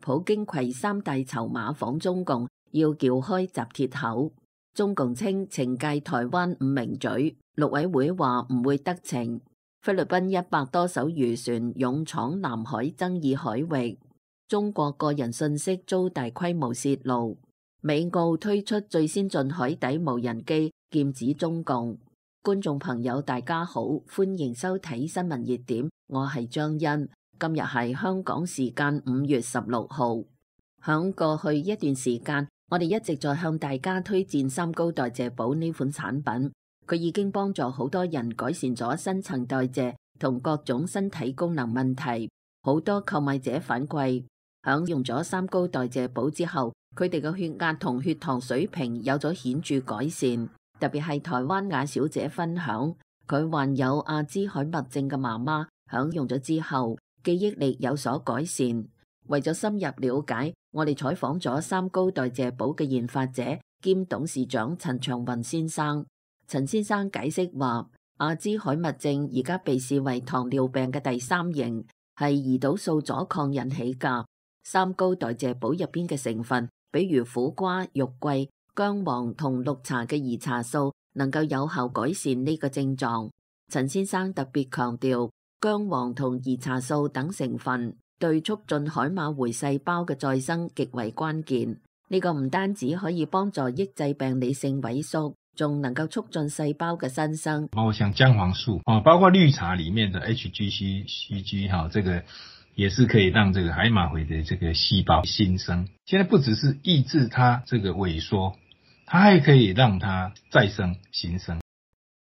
普京攜三大籌碼訪中共，要撬開集鐵口。中共稱懲戒台灣5名罪，陸委會話唔會得逞。菲律賓100多艘漁船勇闖南海爭議海域。中國個人信息遭大規模洩露。美澳推出最先進海底無人機，劍指中共。觀眾朋友大家好，歡迎收睇新聞熱點，我係張欣。今日係香港時間5月16號。響過去一段時間，我哋一直在向大家推薦三高代謝寶呢款產品，佢已經幫助好多人改善咗新陳代謝同各種身體功能問題。好多購買者反饋，響用咗三高代謝寶之後，佢哋嘅血壓同血糖水平有咗顯著改善。特別係台灣雅小姐分享，佢患有阿茲海默症嘅媽媽響用咗之後，記憶力有所改善。為咗深入了解，我哋採訪咗三高代謝寶嘅研發者兼董事長陳長雲先生。陳先生解釋話，阿茲海默症而家被視為糖尿病嘅第3型，係胰島素阻抗引起㗎。三高代謝寶入邊嘅成分，比如苦瓜、肉桂、薑黃同綠茶嘅兒茶素，能夠有效改善呢個症狀。陳先生特別強調，薑黃同兒茶素等成分對促進海馬回細胞嘅再生極為關鍵。呢個唔單止可以幫助抑制病理性萎縮，仲能夠促進細胞嘅新生。包括像薑黃素包括綠茶裡面的 HGC、CG 這個也是可以讓這個海馬回的這個細胞新生。現在不只是抑制它這個萎縮，它還可以讓它再生新生。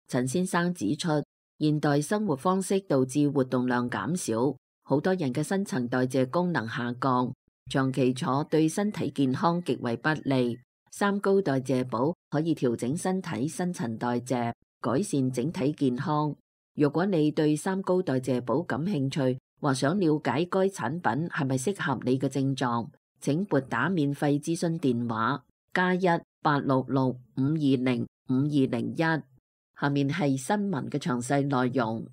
陳先生指出，現代生活方式導致活動量減少，好多人嘅新陳代謝功能下降，長期坐對身體健康極為不利。三高代謝寶可以調整身體新陳代謝，改善整體健康。如果你對三高代謝寶感興趣，或想了解該產品係咪適合你嘅症狀，請撥打免費諮詢電話+1-866-520-5201。下面係新聞嘅詳細內容。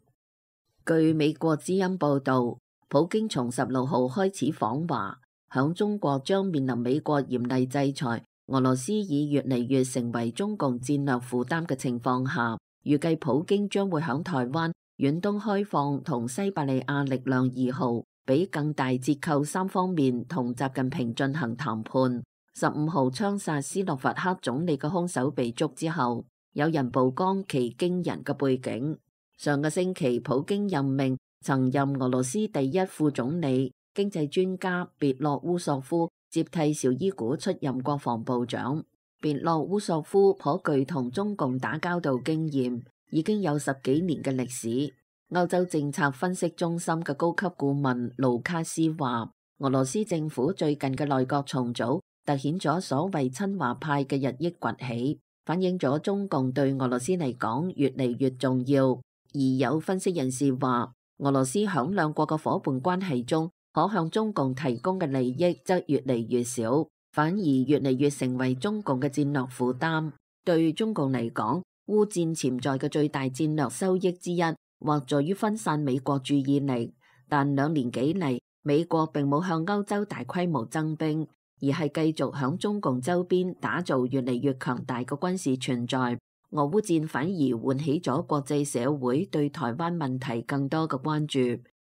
據美國之音報道，普京從16號開始訪華，響中國將面臨美國嚴厲制裁，俄羅斯已越嚟越成為中共戰略負擔嘅情況下，預計普京將會響台灣、遠東開放同西伯利亞力量2號俾更大折扣3方面同習近平進行談判。15號槍殺斯洛伐克總理嘅兇手被捉之後，有人曝光其驚人嘅背景。上個星期，普京任命曾任俄羅斯第一副總理、經濟專家別洛烏索夫接替紹伊古出任國防部長。別洛烏索夫頗具同中共打交道經驗，已經有10幾年嘅歷史。歐洲政策分析中心嘅高級顧問盧卡斯話，俄羅斯政府最近嘅內閣重組凸顯咗所謂親華派嘅日益崛起，反映咗中共對俄羅斯嚟講越嚟越重要。而有分析人士話，俄羅斯響兩國嘅夥伴關係中，可向中共提供嘅利益則越嚟越少，反而越嚟越成為中共嘅戰略負擔。對中共嚟講，烏戰潛在嘅最大戰略收益之一，或在於分散美國注意力。但2年幾嚟，美國並冇向歐洲大規模增兵，而係繼續響中共周邊打造越嚟越強大嘅軍事存在。俄烏戰反而喚起咗國際社會對台灣問題更多嘅關注。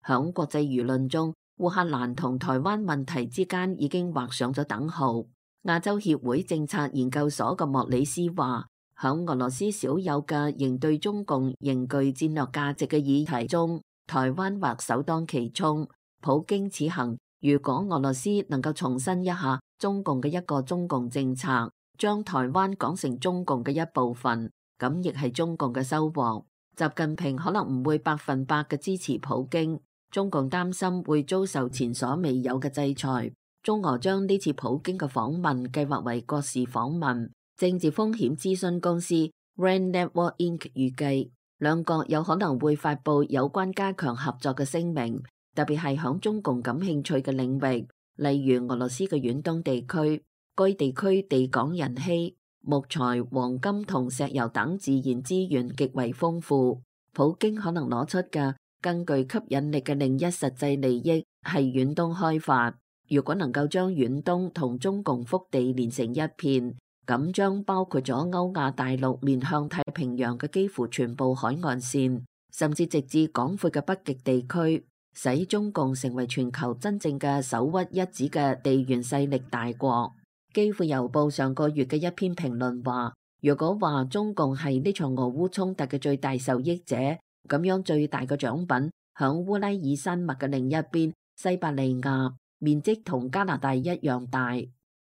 響國際輿論中，烏克蘭同台灣問題之間已經畫上咗等號。亞洲協會政策研究所嘅莫里斯話，響俄羅斯少有嘅仍對中共仍具戰略價值嘅議題中，台灣或首當其衝。普京此行，如果俄羅斯能夠重申一下中共嘅一個中共政策，將台灣講成中共嘅一部分，咁亦係中共嘅收穫。習近平可能唔會100%嘅支持普京，中共擔心會遭受前所未有嘅制裁。中俄將呢次普京嘅訪問計劃為國事訪問。政治風險諮詢公司 RAND Network Inc. 預計，兩國有可能會發布有關加強合作嘅聲明，特別係響中共感興趣嘅領域，例如俄羅斯嘅遠東地區。該地區地廣人稀，木材、黃金同石油等自然資源極為豐富。普京可能攞出嘅更具吸引力嘅另一實際利益係遠東開發。如果能夠將遠東同中共腹地連成一片，咁將包括咗歐亞大陸面向太平洋嘅幾乎全部海岸線，甚至直至廣闊嘅北極地區，使中共成為全球真正嘅首屈一指嘅地緣勢力大國。基輔郵報上個月嘅一篇評論話，如果話中共係呢場俄烏衝突嘅最大受益者，咁樣最大嘅獎品響烏拉爾山脈嘅另一邊，西伯利亞，面積同加拿大一樣大。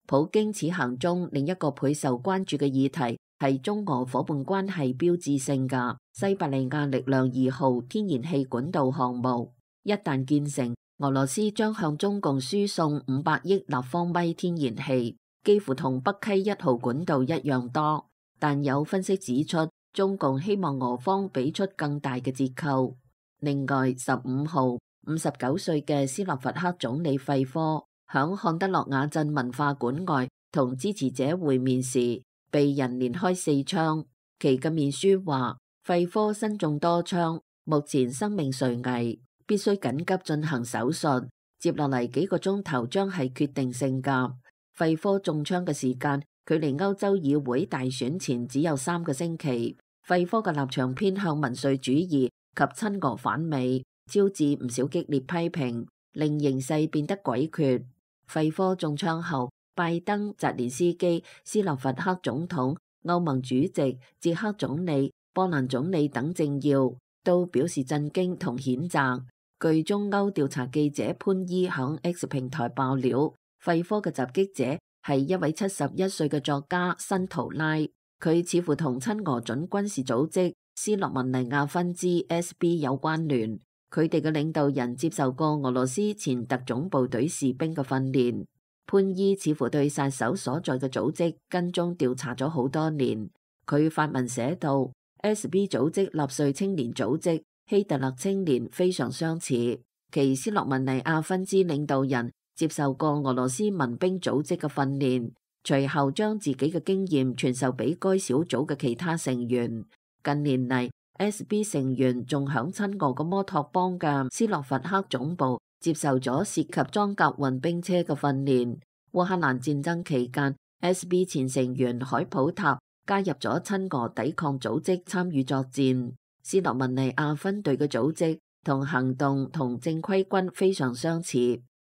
普京此行中另一個倍受關注嘅議題係中俄伙伴關係標誌性嘅西伯利亞力量2號天然氣管道項目。一旦建成，俄羅斯將向中共輸送500億立方米天然氣，幾乎同北溪1號管道一樣多。但有分析指出，中共希望俄方俾出更大嘅折扣。另外，15號59歲嘅斯洛伐克總理費科響漢德洛瓦鎮文化館外同支持者會面時，被人連開4槍。其嘅面書話，費科身中多槍，目前生命垂危，必須緊急進行手術。接落嚟幾個鐘頭將係決定性㗎。費科中槍嘅時間距離歐洲議會大選前只有3個星期。費科嘅立場偏向民粹主義及親俄反美，招致唔少激烈批評，令形勢變得詭譎。費科中槍後，拜登、澤連斯基、斯洛伐克總統、歐盟主席、捷克總理、波蘭總理等政要都表示震驚同譴責。據中歐調查記者潘伊響 X 平台爆料，費科嘅襲擊者係一位71歲嘅作家辛圖拉，佢似乎同親俄準軍事組織斯洛文尼亞分支 SB 有關聯。佢哋嘅領導人接受過俄羅斯前特種部隊士兵嘅訓練。潘伊似乎對殺手所在嘅組織跟蹤調查咗好多年。佢發文寫道 ，SB 組織納粹青年組織希特勒青年非常相似，其斯洛文尼亞分支領導人接受過俄羅斯民兵組織嘅訓練，隨後將自己嘅經驗傳授俾該小組嘅其他成員。近年嚟，SB 成員仲響親俄嘅摩托邦嘅斯洛伐克總部接受咗涉及裝甲運兵車嘅訓練。烏克蘭戰爭期間 ，SB 前成員海普塔加入咗親俄抵抗組織參與作戰。斯洛文尼亞分隊嘅組織同行動同正規軍非常相似，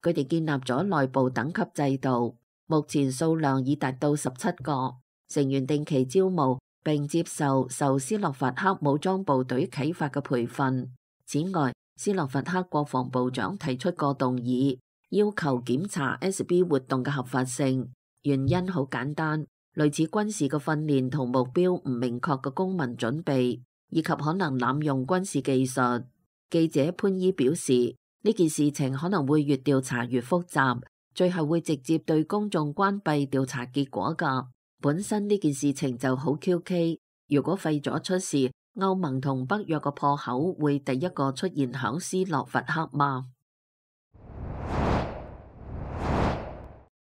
佢哋建立咗內部等級制度，目前數量已達到17個，成員定期招募，並接受斯洛伐克武裝部隊啟發嘅培訓。此外，斯洛伐克國防部長提出過動議，要求檢查 SB 活動嘅合法性。原因好簡單，類似軍事嘅訓練同目標唔明確嘅公民準備，以及可能濫用軍事技術。記者潘伊表示，呢件事情可能會越調查越複雜，最後會直接對公眾關閉調查結果㗎。本身呢件事情就好 QK， 如果廢咗出事，歐盟同北約嘅破口會第一個出現響斯洛伐克嗎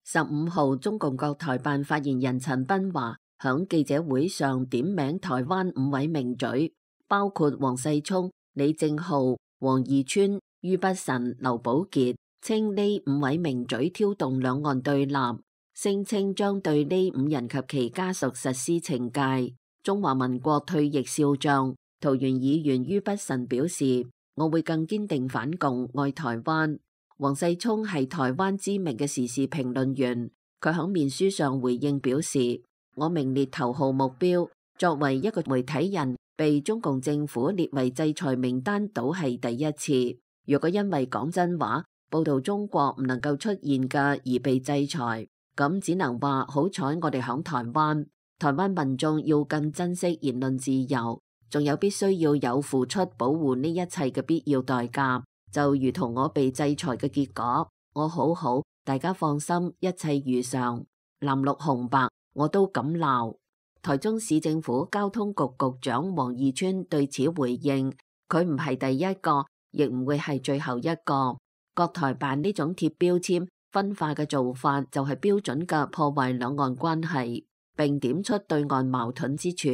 ？15號，中共國台辦發言人陳斌華響記者會上點名台灣5位名嘴，包括黃世聰、李正浩、王義川、于北辰、劉寶傑，稱呢5位名嘴挑動兩岸對立，聲稱將對呢5人及其家屬實施懲戒。中華民國退役少將桃園議員于北辰表示，我會更堅定反共，愛台灣。黃世聰係台灣知名嘅時事評論員，佢喺面書上回應表示，我名列頭號目標，作為一個媒體人被中共政府列為制裁名單倒係第一次。如果因為講真話報道中國唔能夠出現嘅而被制裁，咁只能話好彩我哋響台灣。台灣民眾要更珍惜言論自由，仲有必須要有付出保護呢一切嘅必要代價，就如同我被制裁嘅結果。我好，大家放心，一切如常。藍綠紅白我都敢鬧。台中市政府交通局局長王義川對此回應，佢唔係第一個，亦唔會係最後一個。國台辦呢種貼標籤分化嘅做法就係標準嘅破壞兩岸關係，並點出對岸矛盾之處。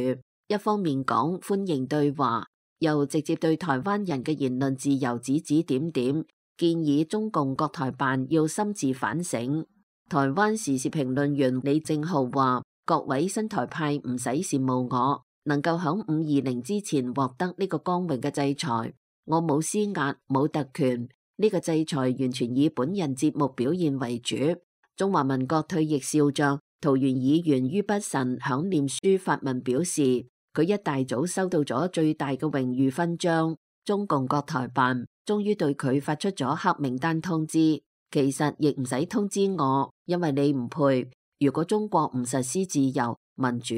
一方面講歡迎對話，又直接對台灣人嘅言論自由指指點點，建議中共國台辦要深自反省。台灣時事評論員李正浩話：各位新台派唔使羨慕我，能夠響520之前獲得呢個光榮嘅制裁。我冇施壓，冇特權，呢個制裁完全以本人節目表現為主。中華民國退役少將桃園議員于筆臣響臉書發文表示，佢一大早收到咗最大嘅榮譽勳章，中共國台辦終於對佢發出咗黑名單通知。其實亦唔使通知我，因為你唔配。如果中國唔實施自由民主，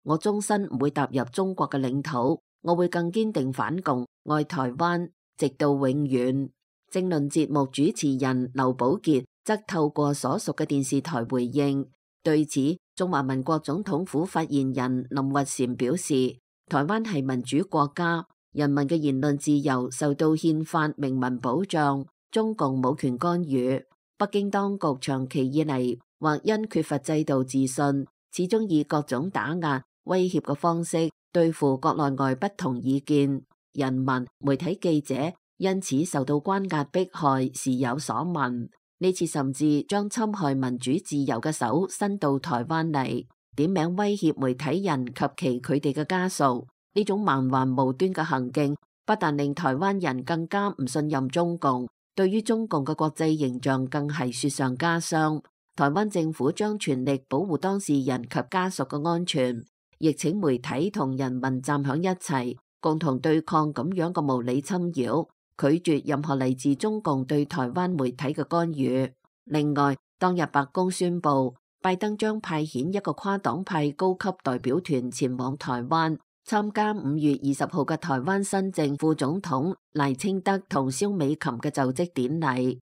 我終身唔會踏入中國嘅領土，我會更堅定反共，愛台灣，直到永遠。政論節目主持人劉寶傑則透過所屬嘅電視台回應，對此，中華民國總統府發言人林聿禪表示，台灣係民主國家，人民嘅言論自由受到憲法明文保障，中共冇權干預。北京當局長期以嚟或因缺乏制度自信，始終以各種打壓、威脅嘅方式對付國內外不同意見人民、媒體記者，因此受到關押迫害，時有所聞。呢次甚至將侵害民主自由嘅手伸到台灣嚟，點名威脅媒體人及佢哋嘅家屬。呢種蠻橫無端嘅行徑，不但令台灣人更加唔信任中共，對於中共嘅國際形象更係雪上加霜。台灣政府將全力保護當事人及家屬嘅安全，亦請媒體同人民站響一齊，共同對抗咁樣嘅無理侵擾，拒絕任何嚟自中共對台灣媒體嘅干預。另外，當日白宮宣布，拜登將派遣一個跨黨派高級代表團前往台灣，參加5月20號嘅台灣新政副總統賴清德同蕭美琴嘅就職典禮。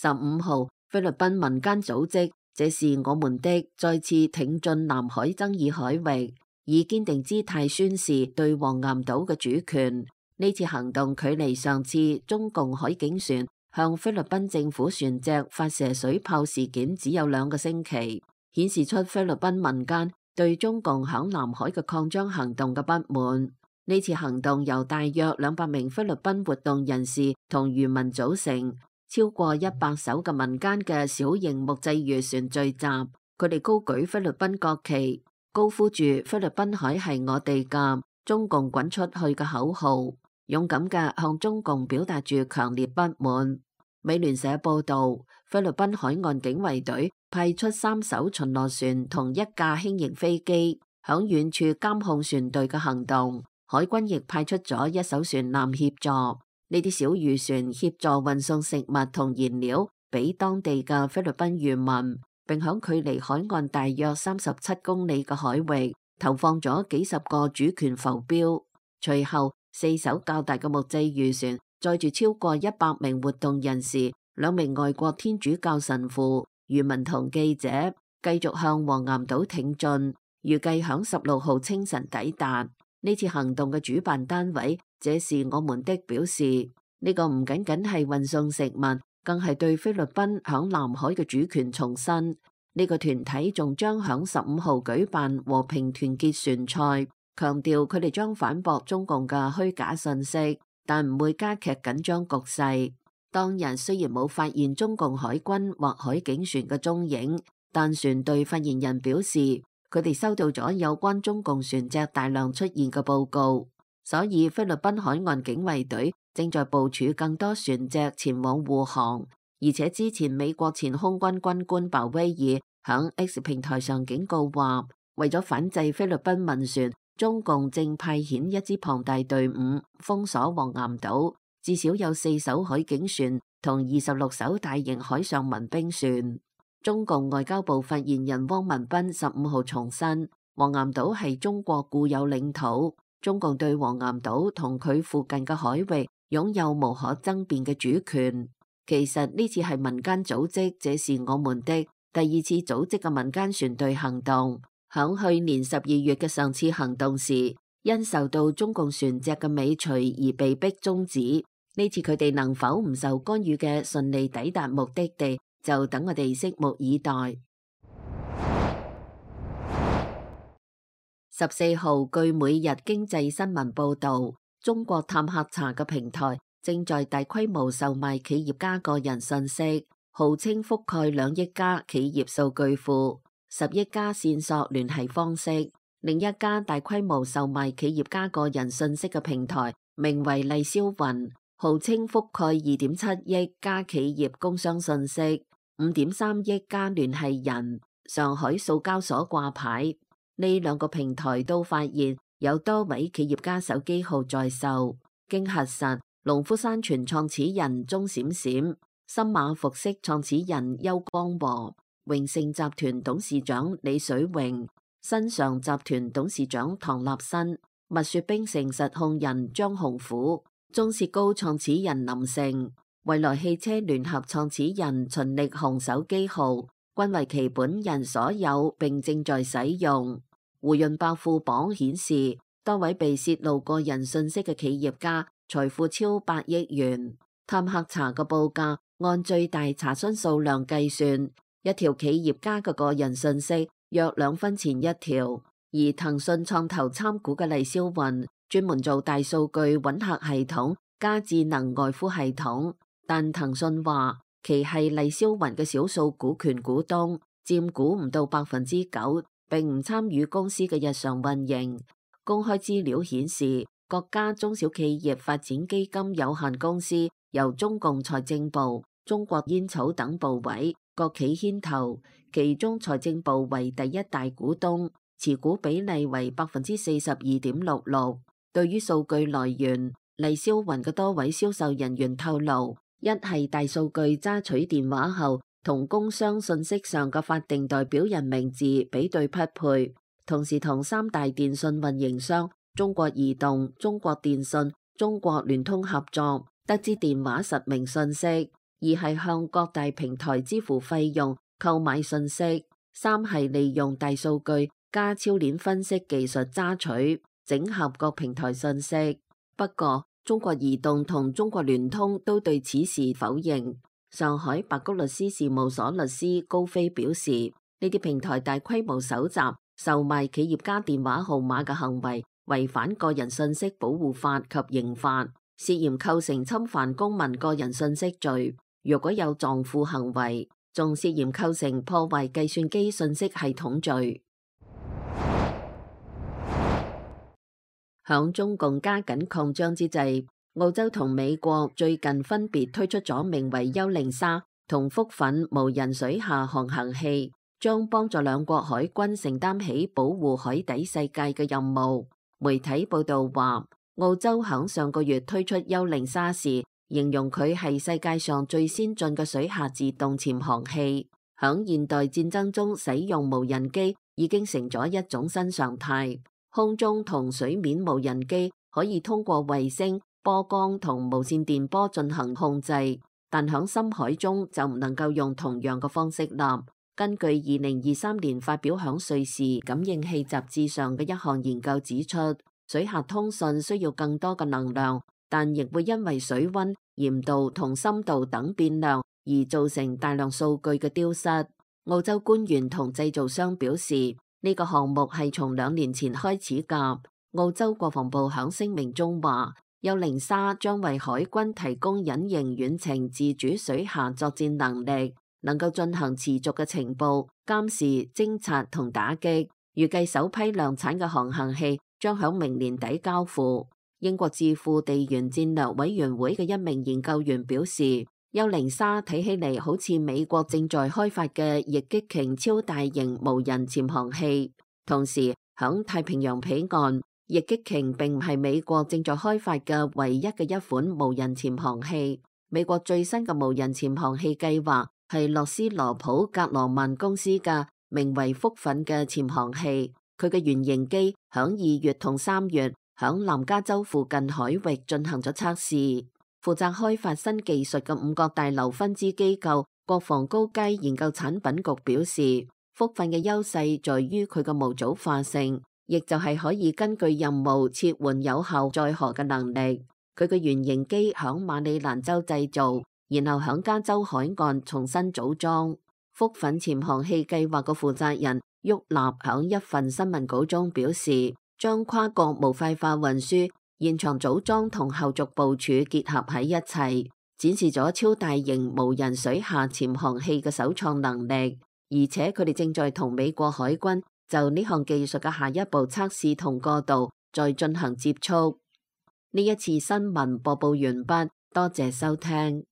15號，菲律賓民間組織這是我們的再次挺進南海爭議海域，以堅定姿態宣示對黃岩島嘅主權。呢次行動距離上次中共海警船向菲律賓政府船隻發射水炮事件只有2個星期，顯示出菲律賓民間對中共響南海嘅擴張行動嘅不滿。呢次行動由大約200名菲律賓活動人士同漁民組成，超過100艘嘅民間嘅小型木製漁船聚集，佢哋高舉菲律賓國旗，高呼住菲律賓海係我哋嘅，中共滾出去嘅口號，勇敢嘅向中共表達住強烈不滿。美聯社報道，菲律賓海岸警衛隊派出3艘巡邏船同1架輕型飛機，響遠處監控船隊嘅行動。海軍亦派出咗1艘船艦協助。呢啲小漁船協助運送食物同燃料俾當地嘅菲律賓漁民，並響距離海岸大約37公里嘅海域投放咗幾十個主權浮標。隨後4艘較大嘅木製漁船載住超過100名活動人士、2名外國天主教神父、漁民同記者，繼續向黃岩島挺進，預計響16號清晨抵達。呢次行動嘅主辦單位這是我們的表示，呢個唔僅僅係運送食物，更係對菲律賓響南海嘅主權重申。呢個團體仲將響15號舉辦和平團結船賽，強調佢哋將反駁中共嘅虛假信息，但唔會加劇緊張局勢。當日雖然冇發現中共海軍或海警船嘅蹤影，但船隊發言人表示，佢哋收到咗有關中共船隻大量出現嘅報告，所以菲律賓海岸警衛隊正在部署更多船隻前往護航。而且之前美國前空軍軍官鮑威爾響 X 平台上警告話，為咗反制菲律賓民船，中共正派遣一支龐大隊伍封鎖黃岩島，至少有4艘海警船同26艘大型海上民兵船。中共外交部發言人汪文斌15號重申，黃岩島係中國固有領土，中共對黃岩島同佢附近嘅海域擁有無可爭辯嘅主權。其實呢次係民間組織，這是我們的第2次組織嘅民間船隊行動。響去年12月嘅上次行動時，因受到中共船隻嘅尾隨而被迫終止。呢次佢哋能否唔受干預嘅順利抵達目的地，就等我哋拭目以待。14號，據每日經濟新聞報導，中國探客查嘅平台正在大規模售賣企業家個人信息，號稱覆蓋2億家企業數據庫、10億家線索聯繫方式。另一家大規模售賣企業家個人信息嘅平台名為麗霄雲，號稱覆蓋2.7億家企業工商信息、5.3億家聯繫人，上海數交所掛牌。呢2個平台都發現有多位企業家手機號在售。經核實，農夫山泉創始人鐘閃閃、森馬服飾創始人邱光和、榮盛集團董事長李水榮、新常集團董事長唐立新、蜜雪冰城實控人張洪虎、中雪糕創始人林成、蔚來汽車聯合創始人秦力雄手機號均為其本人所有並正在使用。胡潤百富榜顯示，多位被泄露個人信息嘅企業家財富超8億元。探客查嘅報價按最大查詢數量計算，一條企業家嘅個人信息約2分錢一條。而騰訊創投參股嘅麗霄雲專門做大數據揾客系統加智能外呼系統，但騰訊話其係麗霄雲嘅少數股權股東，佔股唔到9%，並唔參與公司嘅日常運營。公開資料顯示，國家中小企業發展基金有限公司由中共財政部、中國煙草等部委、國企牽頭，其中財政部為第一大股東，持股比例為42.66%。對於數據來源，麗霄雲嘅多位銷售人員透露，一係大數據揸取電話後同工商信息上嘅法定代表人名字比對匹配，同時同3大電信運營商中國移動、中國電信、中國聯通合作，得知電話實名信息；二係向各大平台支付費用購買信息；三係利用大數據加超鏈分析技術揸取整合各平台信息。不過，中國移動同中國聯通都對此事否認。上海白菊律師事務所律師高飛表示，呢啲平台大規模搜集、售賣企業家電話號碼嘅行為違反個人信息保護法及刑法，涉嫌構成侵犯公民個人信息罪。若果有撞庫行為，仲涉嫌構成破壞計算機信息系統罪。響中共加緊擴張之際，澳洲同美國最近分別推出咗名為幽靈沙同福粉無人水下航行器，將幫助兩國海軍承擔起保護海底世界嘅任務。媒體報道話，澳洲響上個月推出幽靈沙時，形容佢係世界上最先進嘅水下自動潛航器。響現代戰爭中使用無人機已經成咗一種新常態。空中同水面無人機可以通過衛星、波光同無線電波進行控制，但響深海中就唔能夠用同樣嘅方式立。根據2023年發表響瑞士感應器雜誌上嘅一項研究指出，水下通訊需要更多嘅能量，但亦會因為水溫、鹽度同深度等變量而造成大量數據嘅丟失。澳洲官員同製造商表示，呢個項目係從2年前開始㗎。澳洲國防部響聲明中話，幽靈沙將為海軍提供隱形遠程自主水下作戰能力，能夠進行持續嘅情報、監視、偵察同打擊。預計首批量產嘅航行器將響明年底交付。英國智庫地緣戰略委員會嘅一名研究員表示，幽靈沙睇起嚟好似美國正在開發嘅翼擊鯨超大型無人潛航器。同時，響太平洋彼岸，翼擊鯨並唔係美國正在開發嘅唯一嘅一款無人潛航器。美國最新嘅無人潛航器計劃係洛斯羅普格羅曼公司嘅名為福粉嘅潛航器。佢嘅原型機響2月同3月響南加州附近海域進行咗測試。負責開發新技術嘅5角大樓分支機構國防高階研究產品局表示，福粉嘅優勢在於佢嘅模組化性，亦就係可以根據任務切換有效載荷嘅能力。佢嘅原型機響馬里蘭州製造，然後響加州海岸重新組裝。福粉潛航器計劃嘅負責人沃納響一份新聞稿中表示，將跨國模塊化運輸現場組裝同後續部署結合喺一齊，展示咗超大型無人水下潛航器嘅首創能力，而且佢哋正在同美國海軍就呢項技術嘅下一步測試同過渡再進行接觸。呢一次新聞播報完畢，多謝收聽。